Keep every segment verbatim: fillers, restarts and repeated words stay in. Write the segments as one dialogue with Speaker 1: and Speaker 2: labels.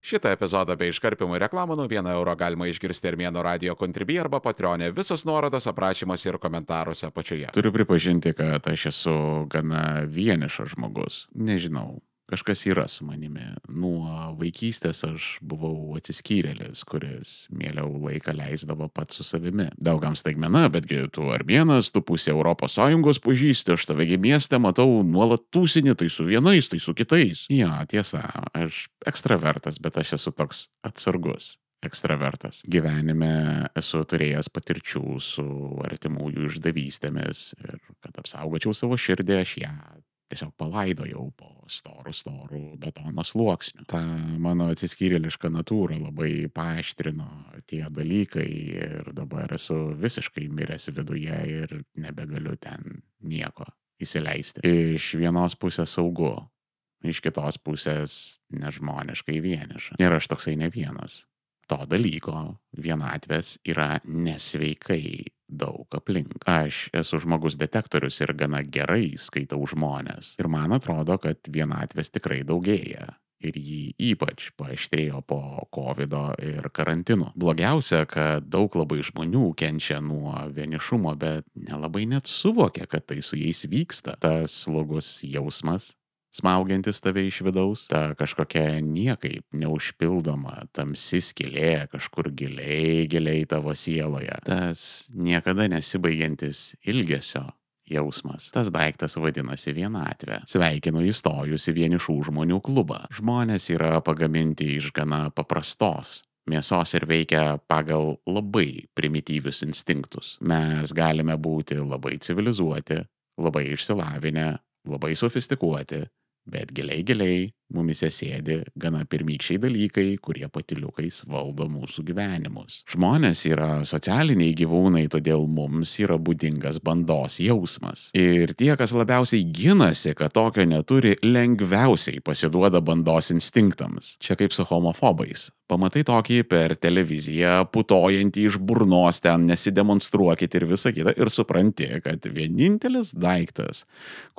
Speaker 1: Šitą epizodą be iškarpimų ir reklamų nuo vieno euro galima išgirsti Armėno radio Contribui arba Patreon'e. Visos nuorodos aprašymuose ir komentaruose apačioje. Turiu pripažinti, kad aš esu gana vienišas žmogus. Nežinau. Kažkas yra su manimi. Nuo vaikystės aš buvau atsiskyrėlis, kuris mieliau laiką leisdavo pats su savimi. Daugam staigmena, betgi tu Armėnas, tu pusė Europos Sąjungos pažįsti, aš tavegi mieste matau nuolat tūsinį, tai su vienais, tai su kitais. Jo, tiesa, aš ekstravertas, bet aš esu toks atsargus. Ekstravertas. Gyvenime esu turėjęs patirčių su artimųjų išdavystėmis ir kad apsaugočiau savo širdį, aš ją tiesiog palaidojau po storų, storų betono sluoksnių. Ta mano atsiskyrėliška natūra labai paaštrino tie dalykai ir dabar esu visiškai miręs viduje ir nebegaliu ten nieko įsileisti. Iš vienos pusės saugu, iš kitos pusės nežmoniškai vieniša. Ir aš toksai ne vienas. To dalyko vienatvės yra nesveikai daug aplink. Aš esu žmogus detektorius ir gana gerai skaitau žmonės. Ir man atrodo, kad vienatvės tikrai daugėja. Ir jį ypač paaštrėjo po kovido ir karantino. Blogiausia, kad daug labai žmonių kenčia nuo vienišumo, bet nelabai net suvokia, kad tai su jais vyksta. Tas slogus jausmas, smaugiantis tave iš vidaus, ta kažkokia niekaip neužpildoma tamsi skylė kažkur giliai, giliai tavo sieloje. Tas niekada nesibaigiantis ilgesio jausmas. Tas daiktas vadinasi vienatvė. Sveikinu įstojus į vienišų žmonių klubą. Žmonės yra pagaminti iš gana paprastos mėsos ir veikia pagal labai primityvius instinktus. Mes galime būti labai civilizuoti, labai išsilavinę, labai sofistikuoti, bet giliai giliai mumise sėdi gana pirmykščiai dalykai, kurie patyliukais valdo mūsų gyvenimus. Žmonės yra socialiniai gyvūnai, todėl mums yra būdingas bandos jausmas. Ir tie, kas labiausiai ginasi, kad tokio neturi, lengviausiai pasiduoda bandos instinktams. Čia kaip su homofobais. Pamatai tokį per televiziją, putojantį iš burnos, ten nesidemonstruokit ir visą kitą, ir supranti, kad vienintelis daiktas,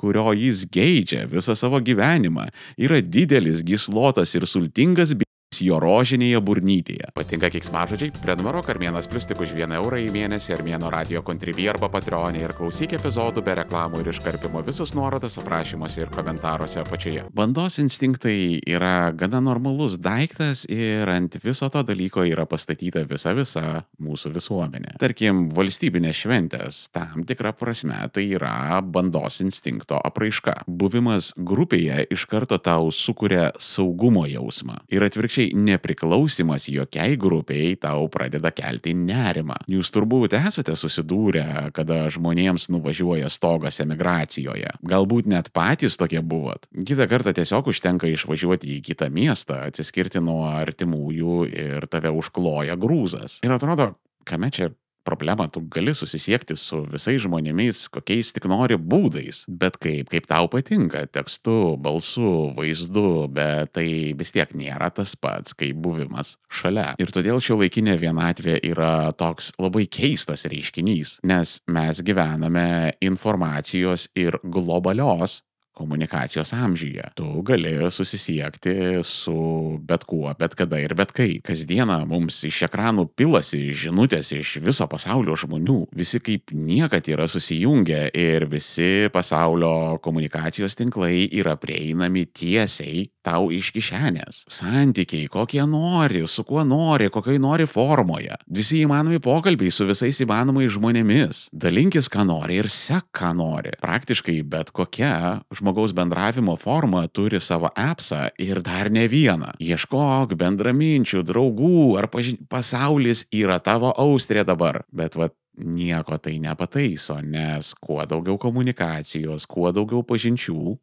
Speaker 1: kurio jis geidžia visą savo gyvenimą, yra didelis, gyslotas ir sultingas b***s jo rožinėje burnytėje. Patinka keiksmažodžiai? Prenumeruok Armėnas Plius tik už vieną eurą į mėnesį Armėno radio Contribui arba Patreon'e ir klausyk epizodų be reklamų ir iškarpimo. Visus nuorodas aprašymuose ir komentaruose apačioje. Bandos instinktai yra gana normalus daiktas ir ant viso to dalyko yra pastatyta visa visa mūsų visuomenė. Tarkim, valstybinės šventės tam tikrą prasme tai yra bandos instinkto apraiška. Buvimas grupėje iš karto tau sukuria saugumo jausmą. Ir atvirkščiai nepriklausimas jokiai grupiai tau pradeda kelti nerimą. Jūs turbūt esate susidūrę, kada žmonėms nuvažiuoja stogas emigracijoje. Galbūt net patys tokie buvot. Kitą kartą tiesiog užtenka išvažiuoti į kitą miestą, atsiskirti nuo artimųjų ir tave užkloja grūzas. Ir atrodo, kame čia problema, tu gali susisiekti su visais žmonėmis, kokiais tik nori būdais, bet kaip, kaip tau patinka, tekstu, balsu, vaizdu, bet tai vis tiek nėra tas pats, kaip buvimas šalia. Ir todėl šiuolaikinė vienatvė yra toks labai keistas reiškinys, nes mes gyvename informacijos ir globalios komunikacijos amžiuje. Tu gali susisiekti su bet kuo, bet kada ir bet kaip. Kasdieną mums iš ekranų pilasi žinutės iš viso pasaulio žmonių. Visi kaip niekad yra susijungę ir visi pasaulio komunikacijos tinklai yra prieinami tiesiai tau iš kišenės. Santykiai, kokie nori, su kuo nori, kokioj nori formoje. Visi įmanomi pokalbiai su visais įmanomais žmonėmis. Dalinkis, ką nori ir sek, ką nori. Praktiškai bet kokia žmogaus bendravimo forma turi savo appsą ir dar ne vieną. Ieškok bendraminčių, draugų ar paži... pasaulis yra tavo austrė dabar. Bet vat nieko tai nepataiso, nes kuo daugiau komunikacijos, kuo daugiau pažinčių,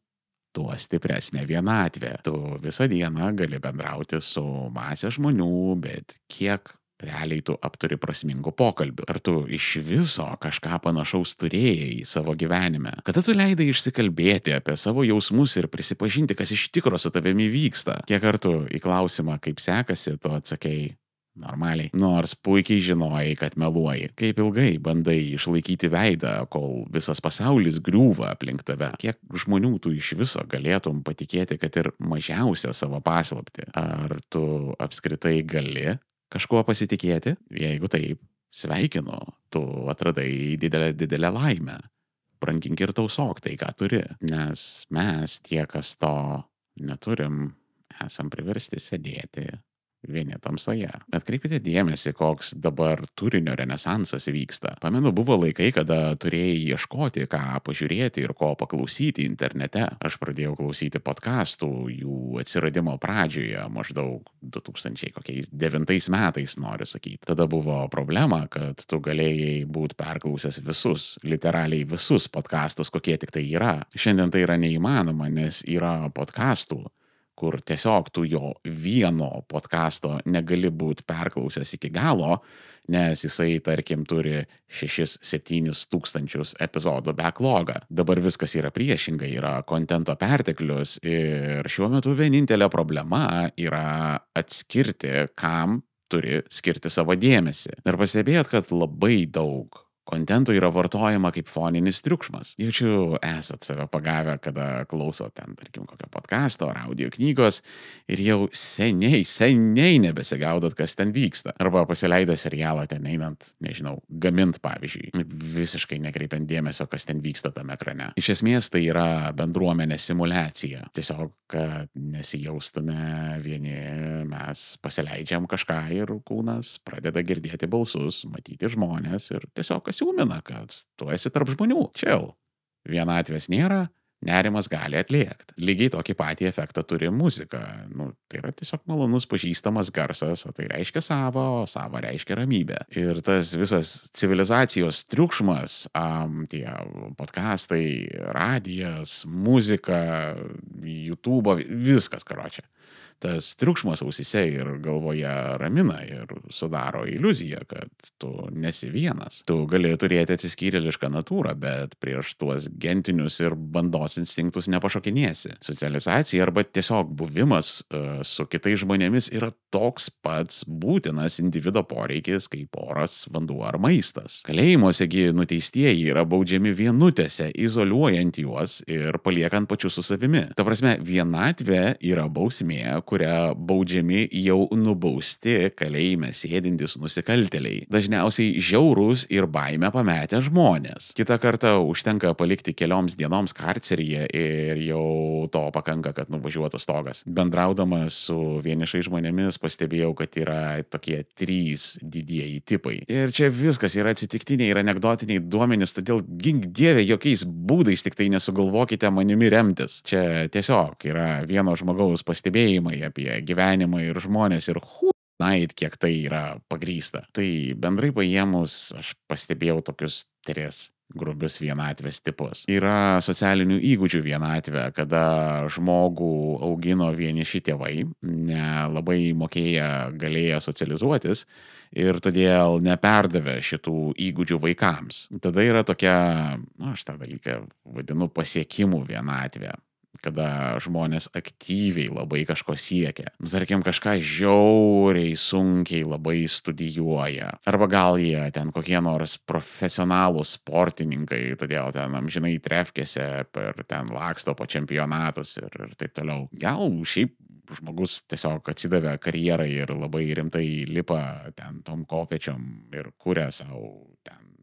Speaker 1: tuo stipresnė vienatvė. Tu visą dieną gali bendrauti su masė žmonių, bet kiek realiai tu apturi prasmingų pokalbių? Ar tu iš viso kažką panašaus turėjai savo gyvenime? Kada tu leidai išsikalbėti apie savo jausmus ir prisipažinti, kas iš tikro su tavimi vyksta? Kiek kartų į klausimą, kaip sekasi, tu atsakei, Normaliai. Nors puikiai žinojai, kad meluoji. Kaip ilgai bandai išlaikyti veidą, kol visas pasaulis griūva aplink tave. Kiek žmonių tu iš viso galėtum patikėti, kad ir mažiausią savo paslaptį. Ar tu apskritai gali kažkuo pasitikėti? Jeigu taip, sveikinu, tu atradai didelę, didelę laimę. Brangink ir tausok tai, ką turi. Nes mes, tie, kas to neturim, esam priversti sėdėti vieni tamsoje. Atkreipkite dėmesį, koks dabar turinio renesansas vyksta. Pamenu, buvo laikai, kada turėjai ieškoti, ką pažiūrėti ir ko paklausyti internete. Aš pradėjau klausyti podcastų jų atsiradimo pradžioje, maždaug du tūkstančiai devintais metais, noriu sakyti. Tada buvo problema, kad tu galėjai būti perklausęs visus, literaliai visus podcastus, kokie tik tai yra. Šiandien tai yra neįmanoma, nes yra podcastų, kur tiesiog tu jo vieno podcasto negali būti perklausęs iki galo, nes jisai, tarkim, turi šešis septynis tūkstančius epizodų backlogą. Dabar viskas yra priešingai, yra kontento perteklius ir šiuo metu vienintelė problema yra atskirti, kam turi skirti savo dėmesį. Ir pastebėjot, kad labai daug kontento yra vartojama kaip foninis triukšmas. Jaučiu, esat save pagavę, kada klauso ten, tarkim, kokio podcasto ar audio knygos ir jau seniai, seniai nebesigaudot, kas ten vyksta. Arba pasileido serialą ten einant, nežinau, gamint pavyzdžiui, visiškai nekreipiant dėmesio, kas ten vyksta tame ekrane. Iš esmės tai yra bendruomenės simulacija. Tiesiog, kad nesijaustume vieni, mes pasileidžiam kažką ir kūnas pradeda girdėti balsus, matyti žmonės ir tiesiog siūmina, kad tu esi tarp žmonių. Chill. Vienatvės nėra, nerimas gali atliekti. Lygiai tokį patį efektą turi muzika. Nu, tai yra tiesiog malonus pažįstamas garsas, o tai reiškia savo, o savo reiškia ramybę. Ir tas visas civilizacijos triukšmas, um, tie podcastai, radijas, muzika, YouTube, viskas, karočią. Tas triukšmas ausyse ir galvoje ramina ir sudaro iliuziją, kad tu nesi vienas. Tu gali turėti atsiskyrėlišką natūrą, bet prieš tuos gentinius ir bandos instinktus nepašokinėsi. Socializacija arba tiesiog buvimas uh, su kitais žmonėmis yra toks pats būtinas individo poreikis kaip oras, vanduo ar maistas. Kalėjimuosegi nuteistieji yra baudžiami vienutėse, izoliuojant juos ir paliekant pačius su savimi. Ta prasme, vienatvė yra bausmė, kurią baudžiami jau nubausti kalėjime sėdintys nusikaltėliai. Dažniausiai žiaurūs ir baimę pametę žmonės. Kitą kartą užtenka palikti kelioms dienoms karceryje ir jau to pakanka, kad nuvažiuotų stogas. Bendraudamas su vienišai žmonėmis pastebėjau, kad yra tokie trys didieji tipai. Ir čia viskas yra atsitiktiniai ir anekdotiniai duomenys, todėl gink dieve jokiais būdais tik tai nesugalvokite manimi remtis. Čia tiesiog yra vieno žmogaus pastebėjimai apie gyvenimą ir žmonės ir hu, nait, kiek tai yra pagrįsta. Tai bendrai paėmus aš pastebėjau tokius tris grubius vienatvės tipus. Yra socialinių įgūdžių vienatvė, kada žmogų augino vieniši tėvai, nelabai mokėję galėję socializuotis ir todėl neperdavė šitų įgūdžių vaikams. Tada yra tokia, na, aš tą dalyką vadinu pasiekimų vienatvė, kada žmonės aktyviai labai kažko siekia. Tarkim, kažką žiauriai sunkiai labai studijuoja. Arba gal jie ten kokie nors profesionalūs sportininkai, todėl ten amžinai trefkėse per ten laksto po čempionatus ir, ir taip toliau. Gal šiaip žmogus tiesiog atsidavė karjerai ir labai rimtai lipa ten tom kopečiom ir kuria savo ten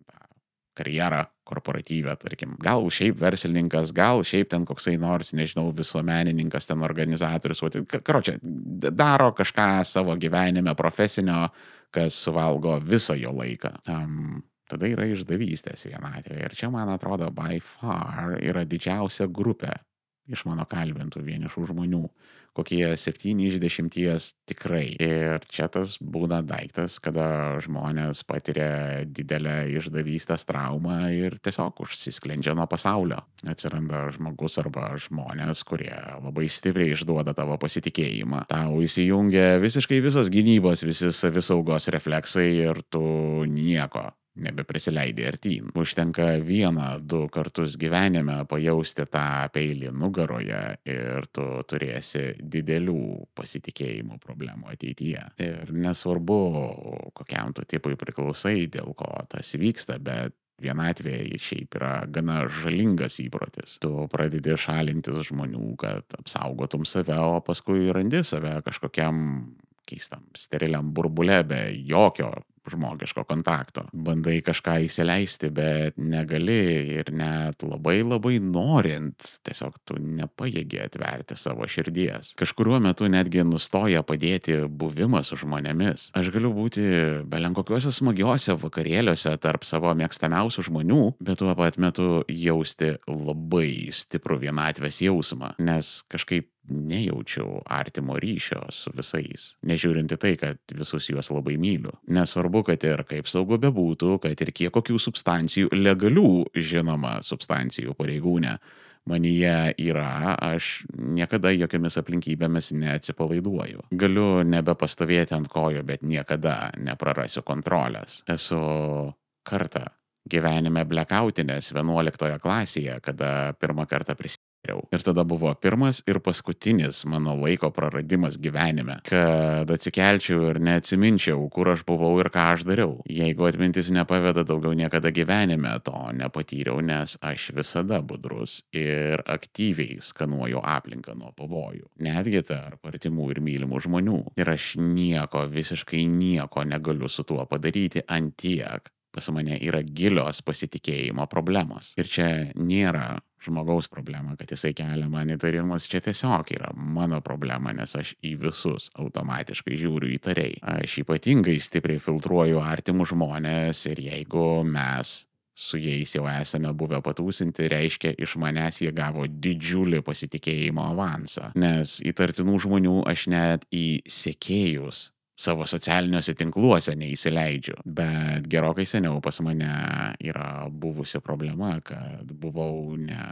Speaker 1: karjerą korporatyvę, tarkim. Gal šiaip verslininkas, gal šiaip ten koksai nors, nežinau, visuomenininkas, ten organizatorius, karočią, daro kažką savo gyvenime profesinio, kas suvalgo visą jo laiką. Um, tada yra išdavystės vienatvė. Ir čia, man atrodo, by far yra didžiausia grupė iš mano kalbintų vienišų žmonių. Kokie septyni iš dešimties tikrai. Ir čia tas būna daiktas, kada žmonės patiria didelę išdavystės traumą ir tiesiog užsisklendžia nuo pasaulio. Atsiranda žmogus arba žmonės, kurie labai stipriai išduoda tavo pasitikėjimą. Tau įsijungia visiškai visos gynybos, visi savisaugos refleksai ir tu nieko nebeprisileidai artyn. Užtenka vieną, du kartus gyvenime pajausti tą peilį nugaroje ir tu turėsi didelių pasitikėjimo problemų ateityje. Ir nesvarbu, kokiam tu tipui priklausai, dėl ko tas vyksta, bet vienatvė šiaip yra gana žalingas įprotis. Tu pradedi šalintis žmonių, kad apsaugotum save, o paskui randi save kažkokiam keistam steriliam burbule be jokio žmogiško kontakto. Bandai kažką įsileisti, bet negali ir net labai labai norint, tiesiog tu nepajėgi atverti savo širdies. Kažkuriuo metu netgi nustoja padėti buvimas su žmonėmis. Aš galiu būti belenkokiuose smagiuose vakarėliuose tarp savo mėgstamiausių žmonių, bet tuo pat metu jausti labai stiprų vienatvės jausmą, nes kažkaip nejaučiau artimo ryšio su visais, nežiūrinti tai, kad visus juos labai myliu. Nesvarbu, kad ir kaip saugu bebūtų, kad ir kiek kokių substancijų, legalių, žinoma, substancijų pareigūne, manyje yra, aš niekada jokiamis aplinkybėmis neatsipalaiduoju. Galiu nebepastovėti ant kojų, bet niekada neprarasiu kontrolės. Esu kartą gyvenime blekautinės vienuoliktoje klasėje, kada pirmą kartą prisimenu. Ir tada buvo pirmas ir paskutinis mano laiko praradimas gyvenime, kad atsikelčiau ir neatsiminčiau, kur aš buvau ir ką aš dariau. Jeigu atmintis nepaveda, daugiau niekada gyvenime to nepatyriau, nes aš visada budrus ir aktyviai skanuoju aplinką nuo pavojų. Netgi tarp artimų ir mylimų žmonių. Ir aš nieko, visiškai nieko negaliu su tuo padaryti ant tiek. Pas mane yra gilios pasitikėjimo problemos. Ir čia nėra žmogaus problema, kad jisai kelia man įtarimus, čia tiesiog yra mano problema, nes aš į visus automatiškai žiūriu įtariai. Aš ypatingai stipriai filtruoju artimus žmonės ir jeigu mes su jais jau esame buvę patūsinti, reiškia, iš manęs jie gavo didžiulį pasitikėjimo avansą. Nes įtartinų žmonių aš net į sekėjus savo socialiniuose tinkluose neįsileidžiu. Bet gerokai seniau pas mane yra buvusi problema, kad buvau ne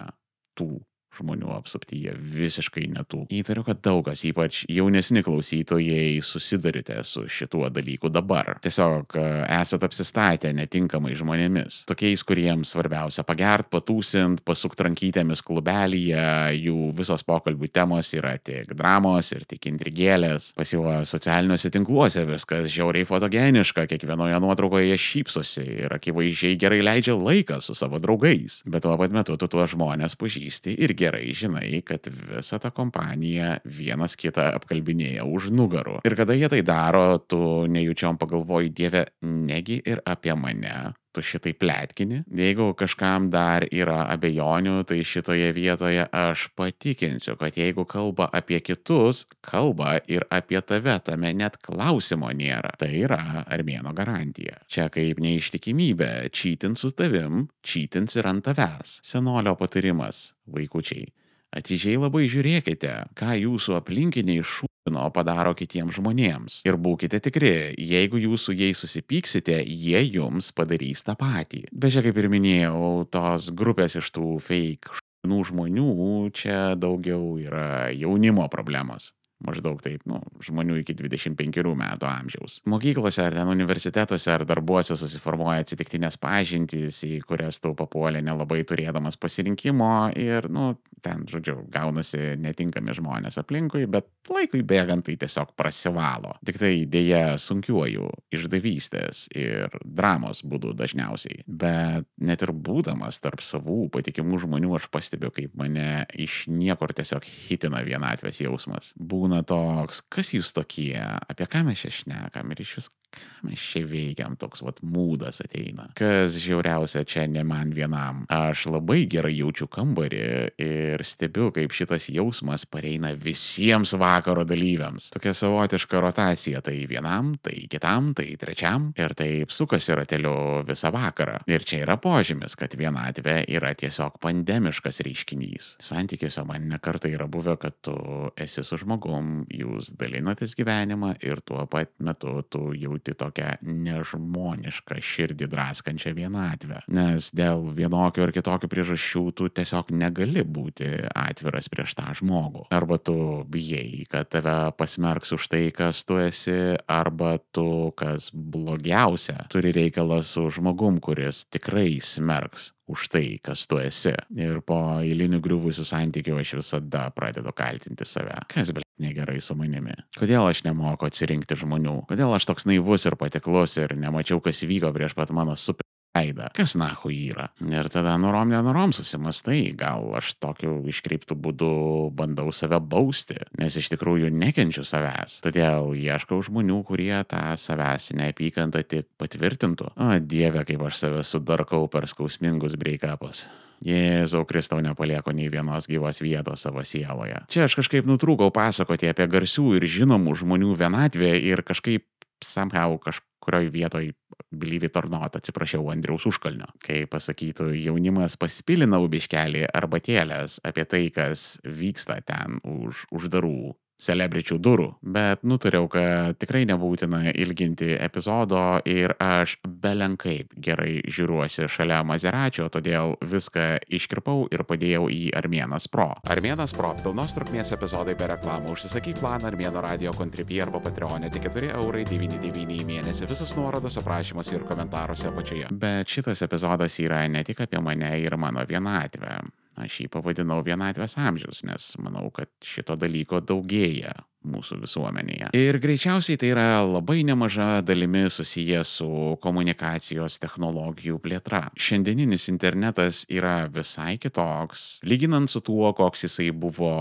Speaker 1: tų žmonių apsuptyje, visiškai netų. Įtariu, kad daug kas, ypač jaunesni klausytojai, susidurite su šituo dalyku dabar. Tiesiog esat apsistatę netinkamai žmonėmis. Tokiais, kuriems svarbiausia pagert, patūsint, pasukti rankytėmis klubelyje, jų visos pokalbių temos yra tik dramos ir tik intrigėlės. Pas juos socialiniuose tinkluose viskas žiauriai fotogeniška, kiekvienoje nuotraukoje jie šypsosi ir akivaizdžiai gerai leidžia laiką su savo draugais. Bet tuo pat metu tu tuos žmonės pažįsti ir gerai žinai, kad visa ta kompanija vienas kitą apkalbinėja už nugarų. Ir kada jie tai daro, tu nejučiom pagalvoji, Dieve, negi ir apie mane tu šitai pletkini. Jeigu kažkam dar yra abejonių, tai šitoje vietoje aš patikinsiu, kad jeigu kalba apie kitus, kalba ir apie tave, tame net klausimo nėra. Tai yra armėno garantija. Čia kaip neištikimybė, čytint su tavim, čytins ir ant tavęs. Senolio patarimas, vaikučiai. Atidžiai labai žiūrėkite, ką jūsų aplinkiniai šūdino padaro kitiems žmonėms. Ir būkite tikri, jeigu jūs su jais susipyksite, jie jums padarys tą patį. Bet čia, kaip ir minėjau, tos grupės iš tų fake šūdinų žmonių, čia daugiau yra jaunimo problemos. Maždaug taip, nu, žmonių iki dvidešimt penkerių metų amžiaus. Mokyklose ar ten universitetuose ar darbuose susiformuoja atsitiktinės pažintys, į kurias tu papuolė nelabai turėdamas pasirinkimo ir, nu, ten, žodžiu, gaunasi netinkami žmonės aplinkui, bet laikui bėgant tai tiesiog prasivalo. Tik tai dėja sunkiuoju išdavystės ir dramos būdu dažniausiai. Bet net ir būdamas tarp savų patikimų žmonių, aš pastebiu, kaip mane iš niekur tiesiog hitina vienatvės jausmas. Būna toks, kas jūs tokie, apie ką mes čia šnekam ir iš vis ką mes čia veikiam, toks vat mūdas ateina. Kas žiauriausia, čia ne man vienam. Aš labai gerai jaučiu kambarį ir stebiu, kaip šitas jausmas pareina visiems vakaro dalyviams. Tokia savotiška rotacija, tai vienam, tai kitam, tai trečiam ir taip sukasi rateliu visą vakarą. Ir čia yra požymis, kad vienatvė yra tiesiog pandemiškas reiškinys. Santykiuose man nekartai yra buvę, kad tu esi su žmogum žmogum jūs dalinatės gyvenimą ir tuo pat metu tu jauti tokią nežmonišką širdį draskančią vienatvę. Nes dėl vienokio ar kitokio priežasčių tu tiesiog negali būti atviras prieš tą žmogų. Arba tu bijai, kad tave pasmerks už tai, kas tu esi, arba tu, kas blogiausia, turi reikalą su žmogum, kuris tikrai smerks už tai, kas tu esi. Ir po eilinių griuvusių santykių aš visada pradedu kaltinti save. Kas, bl**, negerai su manimi? Kodėl aš nemoku atsirinkti žmonių? Kodėl aš toks naivus ir patiklus ir nemačiau, kas vyko prieš pat mano super veidą? Kas nahu yra? Ir tada norom nenorom susimastai, gal aš tokiu iškreiptų būdu bandau save bausti, nes iš tikrųjų nekenčiu savęs. Todėl ieškau žmonių, kurie tą savęs neapykantą tik patvirtintų. O dieve, kaip aš save sudarkau per skausmingus break-upus. Jėzau Kristau, nepalieko nei vienos gyvos vietos savo sieloje. Čia aš kažkaip nutrūkau pasakoti apie garsių ir žinomų žmonių vienatvę ir kažkaip somehow kažkurioj vietoj believe it or not, atsiprašiau Andriaus Užkalnio. Kai pasakytų jaunimas paspilina biškelį arbatėlės apie tai, kas vyksta ten už uždarų celebričių durų, bet nutariau, kad tikrai nebūtina ilginti epizodo ir aš belenkaip gerai žiūriuosi šalia Mazeračio, todėl viską iškirpau ir padėjau į Armėnas Pro. Armėnas Pro – pilnos trukmės epizodai be reklamų. Užsisakyk planą Armėno Radio Contribui arba Patreone tik keturi eurai devyni devyni į mėnesį. Visus nuorodos aprašymuose ir komentaruose apačioje. Bet šitas epizodas yra ne tik apie mane ir mano vienatvę. Aš jį pavadinau vienatvės amžius, nes manau, kad šito dalyko daugėja mūsų visuomenėje. Ir greičiausiai tai yra labai nemaža dalimi susiję su komunikacijos technologijų plėtra. Šiandieninis internetas yra visai kitoks, lyginant su tuo, koks jisai buvo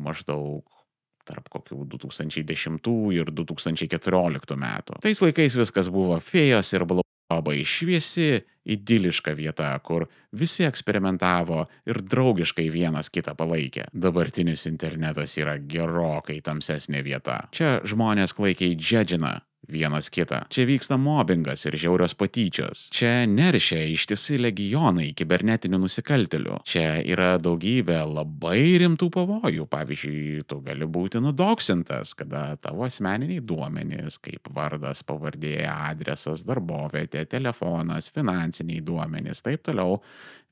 Speaker 1: maždaug tarp kokių du tūkstančiai dešimtų ir du tūkstančiai keturioliktų metų. Tais laikais viskas buvo fėjos ir blau. Labai šviesi, idiliška vieta, kur visi eksperimentavo ir draugiškai vienas kitą palaikė. Dabartinis internetas yra gerokai tamsesnė vieta. Čia žmonės klaikiai džedžina vienas kitą. Čia vyksta mobbingas ir žiaurios patyčios. Čia neršia ištisi legionai kibernetinių nusikaltėlių. Čia yra daugybė labai rimtų pavojų. Pavyzdžiui, tu gali būti nudoksintas, kada tavo asmeniniai duomenys, kaip vardas, pavardė, adresas, darbovietė, telefonas, finansiniai duomenys, taip toliau,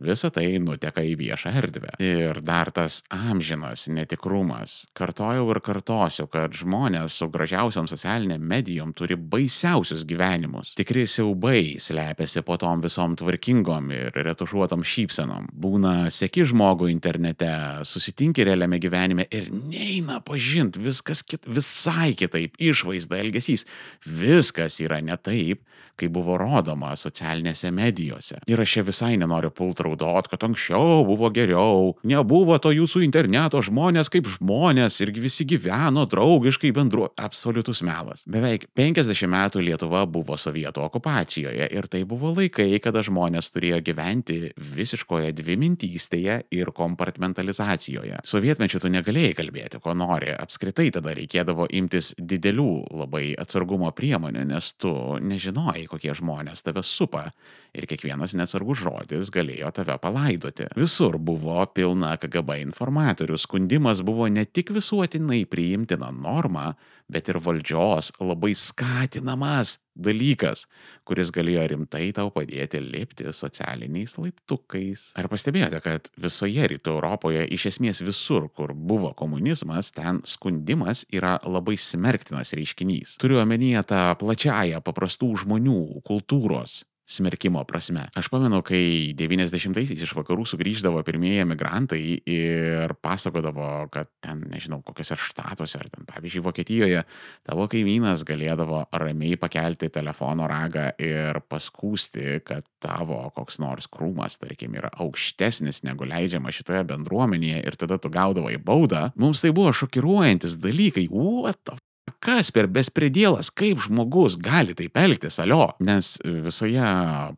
Speaker 1: visa tai nuteka į viešą erdvę. Ir dar tas amžinas netikrumas. Kartojau ir kartosiu, kad žmonės su gražiausiom socialiniam medijom turi baisiausius gyvenimus. Tikri siaubai slepiasi po tom visom tvarkingom ir retušuotom šypsenom. Būna seki žmogų internete, susitinki realiame gyvenime ir neina pažint, viskas kit, visai kitaip, išvaizda, elgesys. Viskas yra ne taip, kai buvo rodoma socialinėse medijose. Ir aš čia visai nenoriu pult raudot, kad anksčiau buvo geriau, nebuvo to jūsų interneto žmonės kaip žmonės ir visi gyveno draugiškai bendru. Absoliutus melas. Beveik penkiasdešimt metų Lietuva buvo sovietų okupacijoje ir tai buvo laikai, kada žmonės turėjo gyventi visiškoje dvimintystėje ir kompartmentalizacijoje. Sovietmečiu tu negalėjai kalbėti, ko nori. Apskritai tada reikėdavo imtis didelių labai atsargumo priemonių, nes tu nežinojai, kokie žmonės tave supa ir kiekvienas neatsargus žodis galėjo tave palaidoti. Visur buvo pilna K G B informatorių. Skundimas buvo ne tik visuotinai priimtina norma, bet ir valdžios labai skatinamas dalykas, kuris galėjo rimtai tau padėti lipti socialiniais laiptukais. Ar pastebėjote, kad visoje rytų Europoje, iš esmės visur, kur buvo komunizmas, ten skundimas yra labai smerktinas reiškinys. Turiu omenyje tą plačiąją paprastų žmonių kultūros smerkimo prasme. Aš pamenu, kai devyniasdešimtaisiais iš vakarų sugrįždavo pirmieji emigrantai ir pasakodavo, kad ten, nežinau, kokiuose štatuose ar ten, pavyzdžiui, Vokietijoje, tavo kaimynas galėdavo ramiai pakelti telefono ragą ir paskūsti, kad tavo koks nors krūmas, tarkim, yra aukštesnis negu leidžiama šitoje bendruomenėje ir tada tu gaudavai baudą. Mums tai buvo šokiruojantis dalykai. What the kas per bespredėlas, kaip žmogus gali taip elgtis, alio? Nes visoje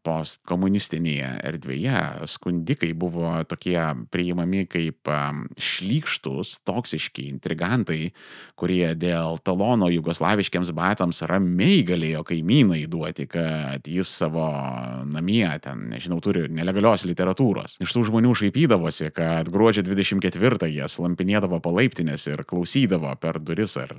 Speaker 1: postkomunistinėje erdvėje skundikai buvo tokie priimami kaip um, šlykštus, toksiški intrigantai, kurie dėl talono jugoslaviškiams batams ramiai galėjo kaimynai duoti, kad jis savo namie ten, nežinau, turi nelegalios literatūros. Iš tų žmonių šaipydavosi, kad gruodžio dvidešimt ketvirtąją slampinėdavo po laiptinės ir klausydavo per duris, ar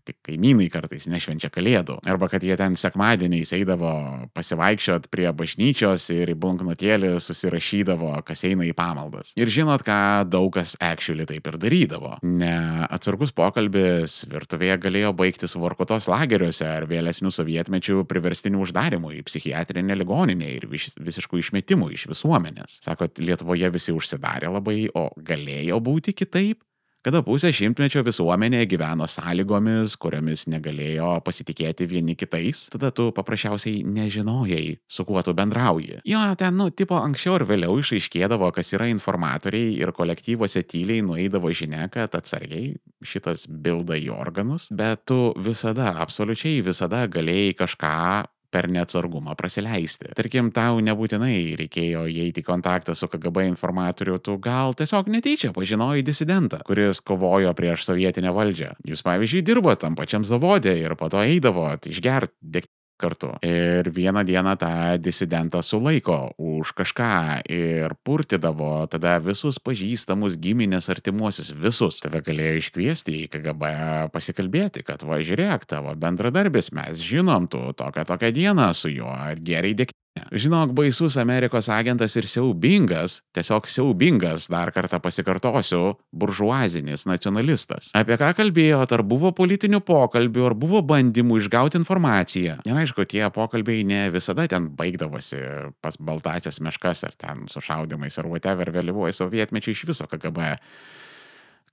Speaker 1: tik kaimynai kartais nešvenčia kalėdų. Arba kad jie ten sekmadieniais eidavo pasivaikščiot prie bažnyčios ir į bloknotėlį susirašydavo, kas eina į pamaldas. Ir žinot, ką daug kas actually taip ir darydavo. Neatsargus pokalbis virtuvėje galėjo baigtis Vorkutos lageriuose ar vėlesnių sovietmečių priverstinių uždarimų į psichiatrinę ligoninę ir vis, visiškų išmetimų iš visuomenės. Sakot, Lietuvoje visi užsidarė labai, o galėjo būti kitaip? Kada pusę šimtmečio visuomenė gyveno sąlygomis, kuriomis negalėjo pasitikėti vieni kitais, tada tu paprasčiausiai nežinojai, su kuo tu bendrauji. Jo, ten, nu, tipo, anksčiau ir vėliau išaiškėdavo, kas yra informatoriai ir kolektyvuose tyliai nueidavo žinia, kad atsargiai šitas bilda į organus, bet tu visada, absoliučiai visada galėjai kažką per neatsargumą prasileisti. Tarkim, tau nebūtinai reikėjo įeiti į kontaktą su K G B informatoriu, tu gal tiesiog netyčia pažinojai disidentą, kuris kovojo prieš sovietinę valdžią. Jūs, pavyzdžiui, dirbo tam pačiam zavode ir po to eidavot išgert degtinės kartu. Ir vieną dieną tą disidentą sulaiko už kažką ir purtydavo tada visus pažįstamus, giminės, artimuosius, visus. Tave galėjo iškviesti į K G B pasikalbėti, kad va, žiūrėk, tavo bendradarbis, mes žinom, tu tokią tokią dieną su juo geriai degtinę. Žinok, baisus Amerikos agentas ir siaubingas, tiesiog siaubingas, dar kartą pasikartosiu, buržuazinis nacionalistas. Apie ką kalbėjot, ar buvo politinių pokalbių, ar buvo bandymų išgauti informaciją. Ir aišku, tie pokalbiai ne visada ten baigdavosi pas baltasias meškas, ar ten su šaudimais, ar whatever, vėlyvuoju sovietmečiu iš viso K G B.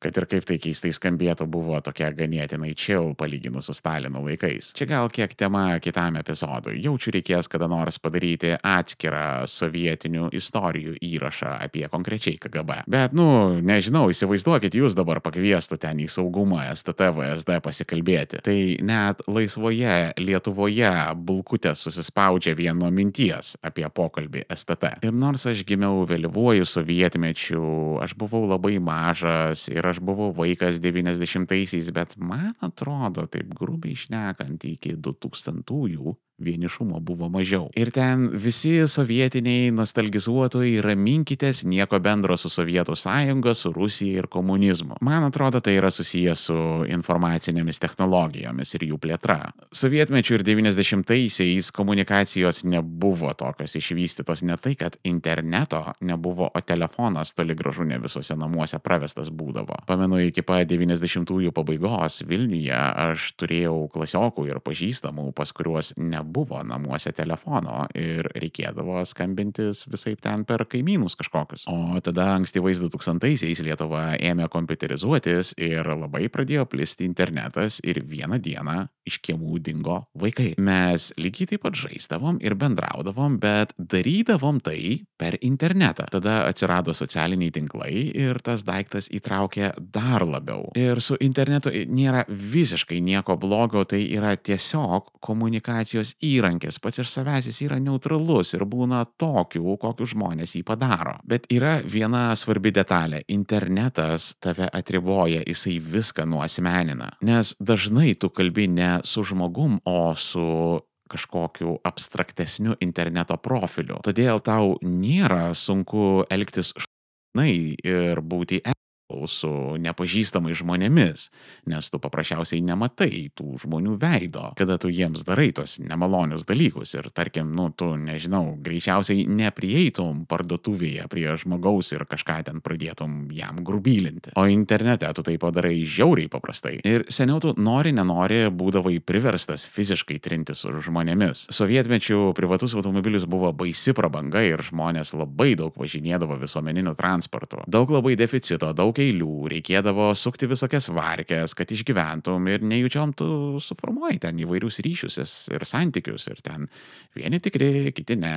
Speaker 1: Kad ir kaip tai keistai skambėtų, buvo tokia ganėtinai chill palyginus su Stalino laikais. Čia gal kiek tema kitam epizodui. Jaučiu reikės kada nors padaryti atskirą sovietinių istorijų įrašą apie konkrečiai K G B. Bet, nu, nežinau, įsivaizduokit, jūs dabar pakviestų ten į saugumą S T T, V S D pasikalbėti. Tai net laisvoje Lietuvoje bulkutės susispaudžia vien nuo minties apie pokalbį S T T. Ir nors aš gimiau vėlyvuoju sovietmečiu, aš buvau labai mažas ir aš buvau vaikas devyniasdešimtaisiais, bet man atrodo, taip grubiai šnekant, iki du tūkstantųjų vienišumo buvo mažiau. Ir ten visi sovietiniai nostalgizuotojai raminkitės, nieko bendro su Sovietų sąjunga, su Rusija ir komunizmu. Man atrodo, tai yra susijęs su informacinėmis technologijomis ir jų plėtra. Sovietmečių ir devyniasdešimtaisiais komunikacijos nebuvo tokios išvystytos, ne tai, kad interneto nebuvo, o telefonas toli gražu ne visuose namuose pravestas būdavo. Pamenu, iki pat devyniasdešimtųjų pabaigos Vilniuje aš turėjau klasiokų ir pažįstamų, pas kuriuos ne buvo namuose telefono ir reikėdavo skambintis visaip ten per kaimynus kažkokius. O tada ankstyvais du tūkstantaisiais Lietuva ėmė kompiuterizuotis ir labai pradėjo plisti internetas ir vieną dieną iš kiemų dingo vaikai. Mes lygiai taip pat žaisdavom ir bendraudavom, bet darydavom tai per internetą. Tada atsirado socialiniai tinklai ir tas daiktas įtraukė dar labiau. Ir su internetu nėra visiškai nieko blogo, tai yra tiesiog komunikacijos įrankis, pats iš savęs jis yra neutralus ir būna tokių, kokius žmonės jį padaro. Bet yra viena svarbi detalė. Internetas tave atriboja, jisai viską nuasmenina. Nes dažnai tu kalbi ne su žmogum, o su kažkokiu abstraktesniu interneto profiliu. Todėl tau nėra sunku elgtis šaunai ir būti su nepažįstamais žmonėmis, nes tu paprasčiausiai nematai tų žmonių veido, kada tu jiems darai tos nemalonius dalykus ir tarkim, nu, tu, nežinau, greičiausiai neprieitum parduotuvėje prie žmogaus ir kažką ten pradėtum jam grubylinti. O internete tu tai padarai žiauriai paprastai. Ir seniau tu nori, nenori, būdavai priverstas fiziškai trintis su žmonėmis. Sovietmečių privatus automobilis buvo baisi prabanga ir žmonės labai daug važinėdavo visuomeniniu transportu. Daug labai deficito, daug eilių, reikėdavo sukti visokias varkes, kad išgyventum ir nejučiom tu suformuoji ten įvairius ryšius ir santykius ir ten vieni tikri, kiti ne.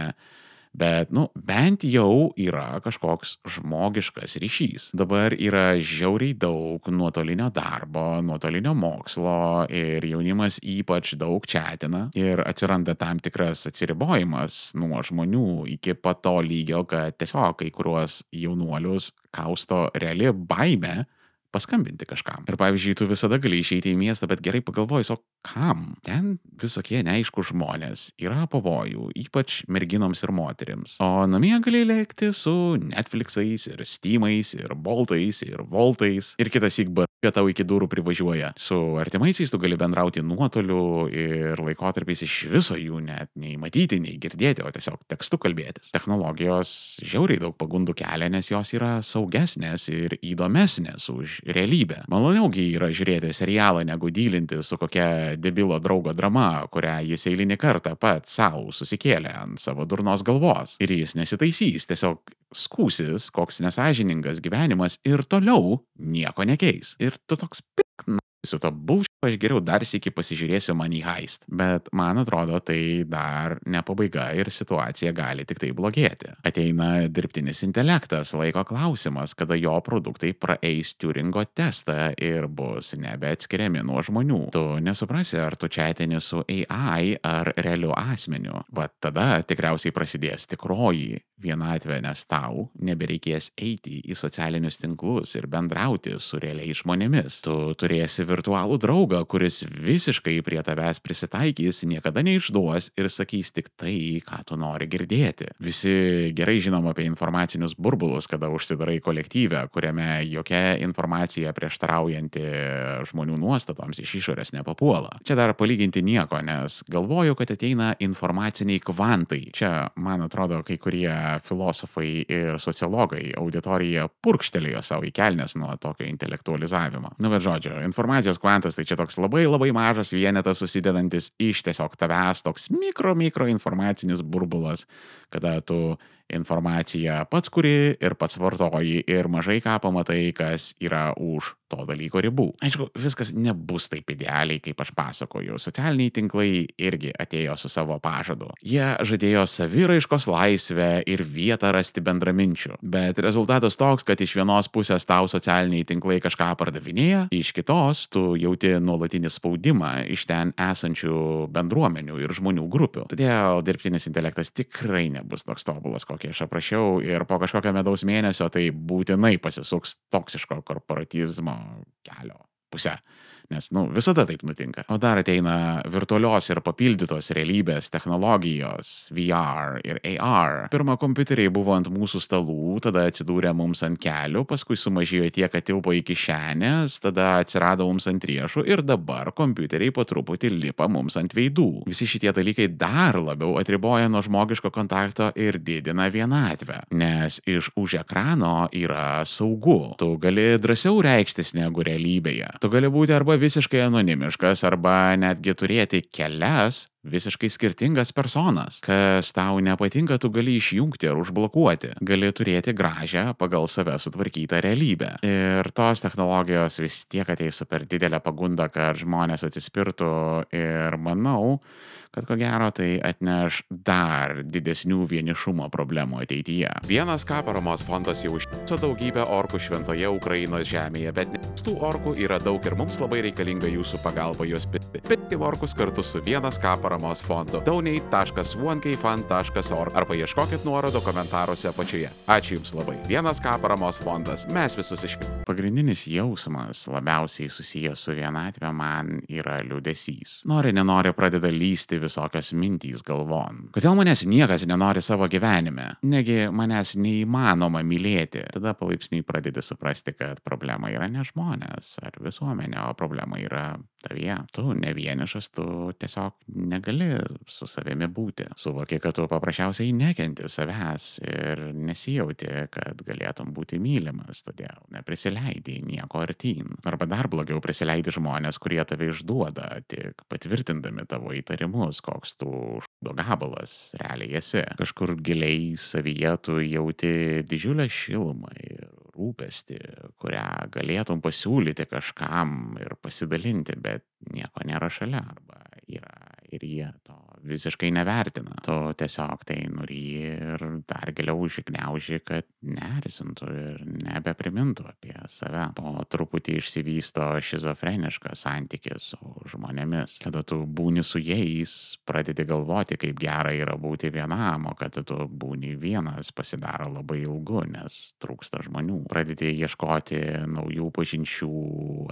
Speaker 1: Bet, nu, bent jau yra kažkoks žmogiškas ryšys. Dabar yra žiauriai daug nuotolinio darbo, nuotolinio mokslo ir jaunimas ypač daug chatina ir atsiranda tam tikras atsiribojimas nuo žmonių iki pat to lygio, kad tiesiog kai kuriuos jaunuolius kausto reali baimė paskambinti kažkam. Ir pavyzdžiui, tu visada gali išeiti į miestą, bet gerai pagalvojus, o kam? Ten visokie neaišku žmonės, yra pavojų, ypač merginoms ir moterims. O namie gali lėkti su Netflixais ir Steamais ir Boltais ir Voltais ir kitas įk kad tau iki durų privažiuoja. Su artimaisiais tu gali bendrauti nuotoliu ir laikotarpiais iš viso jų net nei matyti, nei girdėti, o tiesiog tekstu kalbėtis. Technologijos žiauriai daug pagundų kelia, nes jos yra saugesnės ir įdomesnės už realybę. Maloniaugi yra žiūrėti serialą, negu dylinti su kokia debilo draugo drama, kurią jis eilinį kartą pat savo susikėlė ant savo durnos galvos. Ir jis nesitaisys, tiesiog skūsis, koks nesąžiningas gyvenimas ir toliau nieko nekeis. Ir tu toks pikna. Su to bullshit aš geriau dar sykį pasižiūrėsiu Money Heist. Bet man atrodo, tai dar ne pabaiga ir situacija gali tik tai blogėti. Ateina dirbtinis intelektas, laiko klausimas, kada jo produktai praeis Turingo testą ir bus nebeatskiriami nuo žmonių. Tu nesuprasi, ar tu chatini su A I ar realiu asmeniu. Va tada tikriausiai prasidės tikroji vienatvė, nes tau nebereikės eiti į socialinius tinklus ir bendrauti su realiais žmonėmis. Tu turėsi virtualų draugą, kuris visiškai prie tavęs prisitaikys, niekada neišduos ir sakys tik tai, ką tu nori girdėti. Visi gerai žinom apie informacinius burbulus, kada užsidarai kolektyvę, kuriame jokia informacija prieštaraujanti žmonių nuostatoms iš išorės nepapuola. Čia dar palyginti nieko, nes galvoju, kad ateina informaciniai kvantai. Čia, man atrodo, kai kurie filosofai ir sociologai auditoriją purkštelėjo savo į kelnes nuo tokio intelektualizavimo. Nu, bet žodžiu, informacijos kvantas tai čia toks labai labai mažas vienetas susidedantis iš tiesiog tavęs, toks mikro mikro informacinis burbulas, kada tu informaciją pats kuri ir pats vartoji ir mažai ką pamatai, kas yra už to dalyko ribų. Aišku, viskas nebus taip idealiai, kaip aš pasakoju. Socialiniai tinklai irgi atėjo su savo pažadu. Jie žadėjo saviraiškos laisvę ir vietą rasti bendraminčių. Bet rezultatas toks, kad iš vienos pusės tau socialiniai tinklai kažką pardavinėja, iš kitos tu jauti nuolatinį spaudimą iš ten esančių bendruomenių ir žmonių grupių. Todėl dirbtinis intelektas tikrai nebus toks tobulas, kokį aš aprašiau, ir po kažkokio medaus mėnesio tai būtinai pasisuks toksiško korporatyvizmo kelio pusę. Nes, nu, visada taip nutinka. O dar ateina virtualios ir papildytos realybės technologijos, V R ir A R. Pirma, kompiuteriai buvo ant mūsų stalų, tada atsidūrė mums ant kelių, paskui sumažėjo tiek, kad tilpo į kišenės, tada atsirado mums ant riešų ir dabar kompiuteriai po truputį lipa mums ant veidų. Visi šitie dalykai dar labiau atriboja nuo žmogiško kontakto ir didina vienatvę, nes iš už ekrano yra saugu. Tu gali drąsiau reikštis negu realybėje. Tu gali būti arba visiškai anonimiškas, arba netgi turėti kelias visiškai skirtingas personas. Kas tau nepatinka, tu gali išjungti ar užblokuoti. Gali turėti gražią, pagal save sutvarkytą realybę. Ir tos technologijos vis tiek ateis su per didelę pagundą, kad žmonės atsispirtų, ir manau, kad ko gero tai atneš dar didesnių vienišumo problemų ateityje. Vienas ką paramos fondas jau išsiuntė daugybę orkų šventoje Ukrainos žemėje, bet tų orkų yra daug ir mums labai reikalinga jūsų pagalba juos pirkti. Pirkti orkus kartu su Vienas ką paramos fondu. donate taškas one k fund taškas org arba ieškokit nuorodo komentaruose apačioje. Ačiū Jums labai. Vienas ką paramos fondas. Mes visus išpirkime. Pagrindinis jausmas labiausiai susijęs su vienatve man yra liūdesys. Nori, nenori pradeda lysti visokios mintys galvon. Kodėl manęs niekas nenori savo gyvenime? Negi manęs neįmanoma mylėti. Tada palaipsniui pradedi suprasti, kad problema yra ne žmonės ar visuomenė, o problema yra tavyje. Tu ne vienišas, tu tiesiog negali su savimi būti. Suvoki, kad tu paprasčiausiai nekenti savęs ir nesijauti, kad galėtum būti mylimas, todėl neprisileidi nieko artyn. Arba dar blogiau, prisileidi žmonės, kurie tave išduoda, tik patvirtindami tavo įtarimus, koks tu šūdo gabalas realiai esi. Kažkur giliai savyje tu jauti didžiulę šilumą ir rūpestį, kurią galėtum pasiūlyti kažkam ir pasidalinti, bet nieko nėra šalia, arba yra ir jie to visiškai nevertina. Tu tiesiog tai nuryji ir dar giliau užgniauži, kad neerzintų ir nebeprimintų apie save. Po truputį išsivysto šizofreniškas santykis su žmonėmis. Kada tu būni su jais, pradedi galvoti, kaip gera yra būti vienam, o kada tu būni vienas, pasidaro labai ilgu, nes trūksta žmonių. Pradedi ieškoti naujų pažinčių,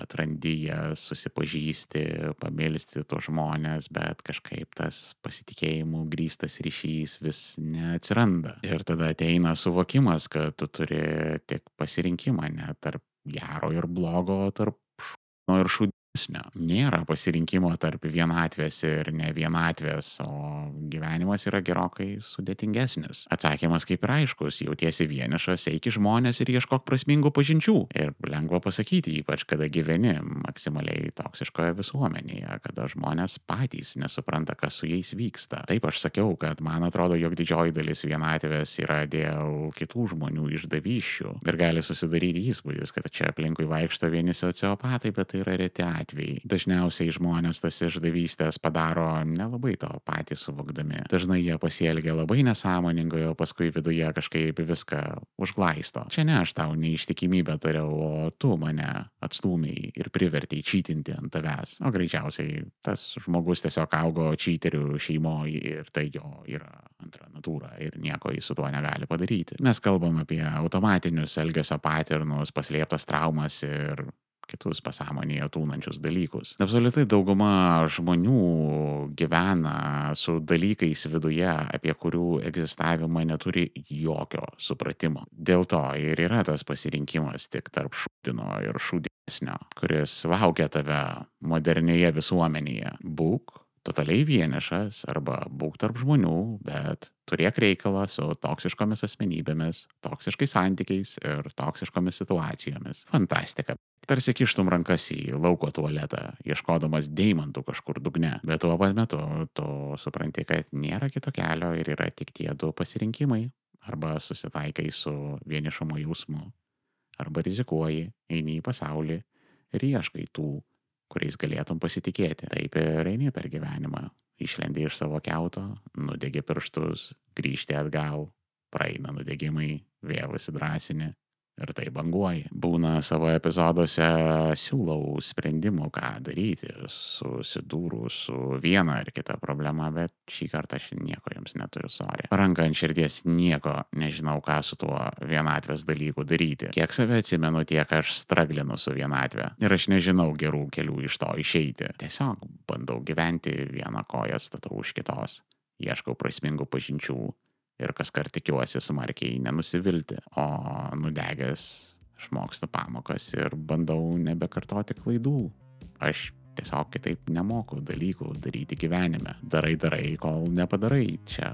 Speaker 1: atrandi jas, susipažįsti, pamilsti tuos žmonės, bet kažkaip tas pasitikėjimų grįstas ryšys vis neatsiranda. Ir tada ateina suvokimas, kad tu turi tik pasirinkimą ne tarp gero ir blogo, tarp šūno ir šūdesnio. Nėra pasirinkimo tarp vienatvės ir ne vienatvės, o gyvenimas yra gerokai sudėtingesnis. Atsakymas kaip ir aiškus, jautiesi vienišas, eik į žmonės ir ieškok prasmingų pažinčių. Ir lengva pasakyti, ypač kada gyveni maksimaliai toksiškoje visuomenėje, kada žmonės patys nesupranta, kas su jais vyksta. Taip aš sakiau, kad man atrodo, jog didžioji dalis vienatvės yra dėl kitų žmonių išdavysčių. Ir gali susidaryti įspūdis, kad čia aplinkui vaikšto vieni sociopatai, bet tai yra reti atvejai. Dažniausiai žmonės tas išdavystės padaro nelabai to patys suvokdami. Dažnai jie pasielgia labai nesąmoningai, o paskui viduje kažkaip viską užglaisto. Čia ne aš tau neištikimybę dariau, o tu mane atstūmei ir privertei čytinti ant tavęs. O greičiausiai tas žmogus tiesiog augo čyterių šeimoje ir tai jo yra antra natūra ir nieko jis su tuo negali padaryti. Mes kalbam apie automatinius elgesio paternus, paslėptas traumas ir kitus pasąmonėje tūnančius dalykus. Absoliutai dauguma žmonių gyvena su dalykais viduje, apie kurių egzistavimą neturi jokio supratimo. Dėl to ir yra tas pasirinkimas tik tarp šūdino ir šūdesnio, kuris laukia tave modernioje visuomenėje. Būk totaliai vienišas arba būk tarp žmonių, bet turėk reikalą su toksiškomis asmenybėmis, toksiškais santykiais ir toksiškomis situacijomis. Fantastika. Tarsi kištum rankas į lauko tualetą, ieškodamas deimantų kažkur dugne. Bet tuo pat metu tu supranti, kad nėra kito kelio ir yra tik tie du pasirinkimai. Arba susitaikai su vienišumo jausmu, arba rizikuoji, eini į pasaulį ir ieškai tų, kuriais galėtum pasitikėti. Taip ir eini per gyvenimą. Išlendi iš savo kiauto, nudegi pirštus, grįžti atgal, praeina nudegimai, vėl įsidrasini. Ir tai banguoji. Būna savo epizoduose siūlau sprendimų, ką daryti, susidūrus su viena ar kita problema, bet šį kartą aš nieko jums neturiu, sorry. Ranka ant širdies nieko nežinau, ką su tuo vienatvės dalyku daryti. Kiek save atsimenu, tiek aš straglinu su vienatve. Ir aš nežinau gerų kelių iš to išeiti. Tiesiog bandau gyventi vieną koją statau už kitos. Ieškau prasmingų pažinčių. Ir kaskart tikiuosi smarkiai nenusivilti, o nudegęs išmokstu pamokas ir bandau nebekartoti klaidų. Aš tiesiog kitaip nemoku dalykų daryti gyvenime. Darai, darai, kol nepadarai. Čia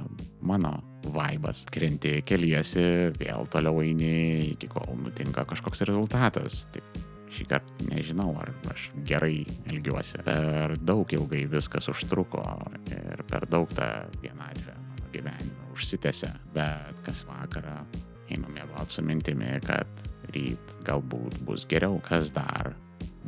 Speaker 1: mano vaibas. Krenti, keliesi, vėl toliau eini, iki kol nutinka kažkoks rezultatas. Tik šį kartą nežinau, ar aš gerai elgiuosi. Per daug ilgai viskas užtruko ir per daug tą vienatvę mano gyvenime užsitęsia, bet kas vakarą einu miegot su mintimi, kad ryt galbūt bus geriau, kas dar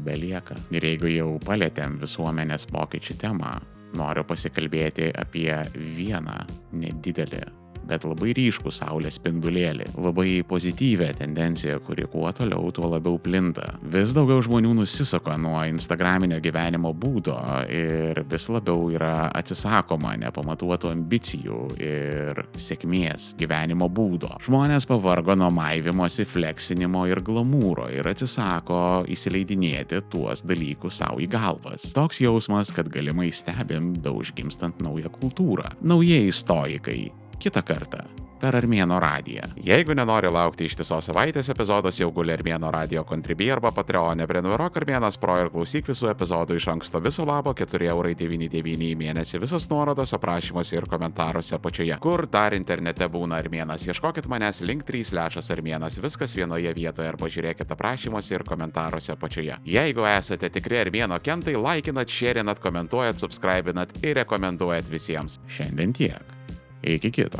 Speaker 1: belieka. Ir jeigu jau palietėm visuomenės pokyčių temą, noriu pasikalbėti apie vieną nedidelį, bet labai ryškų saulės spindulėlį, labai pozityvę tendenciją, kuri kuo toliau, tuo labiau plinta. Vis daugiau žmonių nusisuka nuo instagraminio gyvenimo būdo ir vis labiau yra atsisakoma nepamatuotų ambicijų ir sėkmės gyvenimo būdo. Žmonės pavargo nuo maivimosi, fleksinimo ir glamūro ir atsisako įsileidinėti tuos dalykus savo į galvas. Toks jausmas, kad galimai stebim beužgimstant naują kultūrą. Naujieji stoikai. Kitą kartą per Armėno radiją. Jeigu nenori laukti ištisos savaitės, epizodas jau guli Armėno radio Contribui arba Patreone. Prenumeruok Armėnas Pro ir klausyk visų epizodų iš anksto. Viso labo keturi eurai devyni devyni į mėnesį. Visos nuorodos aprašymuose ir komentaruose apačioje. Kur dar internete būna Armėnas? Ieškokit manęs link trys lešas Armėnas. Viskas vienoje vietoje arba žiūrėkit aprašymuose ir komentaruose apačioje. Jeigu esate tikri Armėno kentai, laikinat, šėrinat, komentuojat, subscribinat ir rekomenduojat visiems. Šiandien tiek. Iki kito.